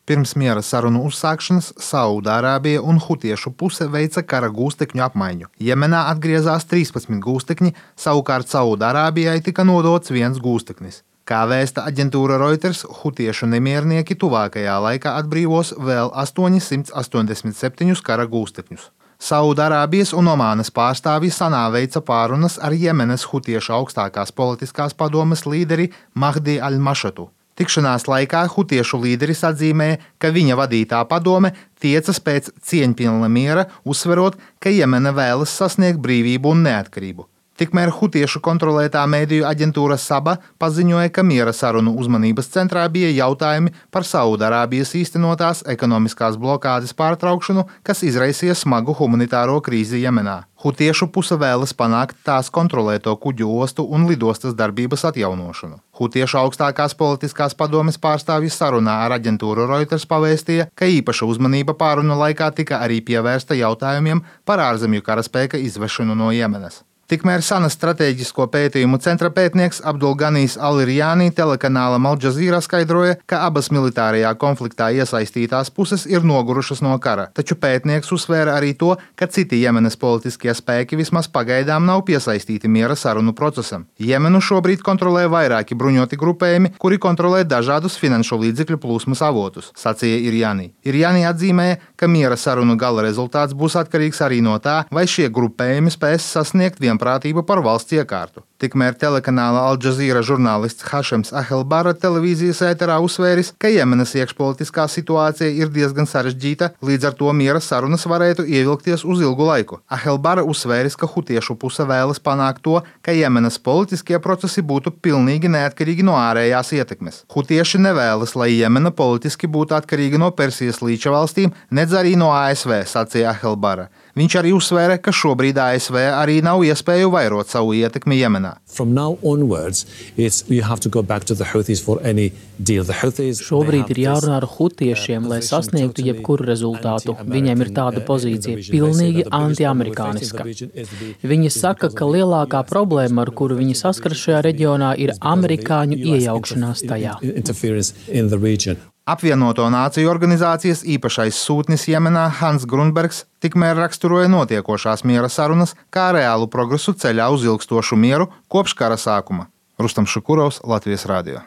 Pirms miera sarunu uzsākšanas Saūdārābija un hutiešu puse veica kara gūstekņu apmaiņu. Jemenā atgriezās 13 gūstekņi, savukārt Saūdārābijai tika nodots 1 gūsteknis. Kā vēsta aģentūra Reuters, hutiešu nemiernieki tuvākajā laikā atbrīvos vēl 887 kara gūstekņus. Saūdārābijas un Omānas pārstāvji Sanā veica pārunas ar Jemenas hutiešu augstākās politiskās padomes līderi Mahdi al-Mašatu. Tikšanās laikā hutiešu līderis atzīmēja, ka viņa vadītā padome tiecas pēc cieņpilna miera, uzsverot, ka Jemena vēlas sasniegt brīvību un neatkarību. Tikmēr hutiešu kontrolētā mediju aģentūra Saba paziņoja, ka miera sarunu uzmanības centrā bija jautājumi par Saūdārābijas īstenotās ekonomiskās blokādes pārtraukšanu, kas izraisīja smagu humanitāro krīzi Jemenā. Hutiešu puse vēlas panākt tās kontrolēto kuģu ostu un lidostas darbības atjaunošanu. Hutiešu augstākās politiskās padomes pārstāvji sarunā ar aģentūru Reuters pavēstīja, ka īpaša uzmanība pārunu laikā tika arī pievērsta jautājumiem par ārzemju karaspēka izvešanu no Jemenas. Tikmēr Sanas stratēģisko pētījumu centra pētnieks Abdulganijs Al-Irjānī telekanālam Al Jazeera skaidroja, ka abas militārajā konfliktā iesaistītās puses ir nogurušas no kara, taču pētnieks uzsvēra arī to, ka citi Jemenas politiskie spēki vismaz pagaidām nav piesaistīti miera sarunu procesam. Jemenu šobrīd kontrolē vairāki bruņoti grupējumi, kuri kontrolē dažādus finanšu līdzekļu plūsmas avotus, sacīja Irjānī. Irjānī atzīmēja, ka miera sarunu gala rezultāts būs atkarīgs arī no tā, vai šie grupējumi spēs sasniegt prātība par valsts iekārtu. Tikmēr telekanāla Al Jazeera žurnālists Hašems Ahelbara televīzijas ēterā uzsvēris, ka Jemenas iekšpolitiskā situācija ir diezgan sarežģīta, līdz ar to miera sarunas varētu ievilkties uz ilgu laiku. Ahelbara uzsvēris, ka hutiešu puse vēlas panākt to, ka Jemenas politiskie procesi būtu pilnīgi neatkarīgi no ārējās ietekmes. Hutieši nevēlas, lai Jemena politiski būtu atkarīga no Persijas līča valstīm, nedz arī no ASV, sacīja Ahelbara. Viņš arī uzsvēra, ka šobrīd ASV arī nav iespēju vairot savu ietekmi Jemenā. Šobrīd ir jārunā ar hutiešiem, lai sasniegtu jebkuru rezultātu. Viņiem ir tāda pozīcija pilnīgi antiamerikāniska. Viņi saka, ka lielākā problēma, ar kuru viņi saskaras šajā reģionā, ir amerikāņu iejaukšanās tajā. Apvienoto Nāciju organizācijas īpašais sūtnis Jemenā Hans Grunbergs tikmēr raksturoja notiekošās miera sarunas kā reālu progresu ceļā uz ilgstošu mieru kopš kara sākuma. Rustam Šukurovs, Latvijas radio.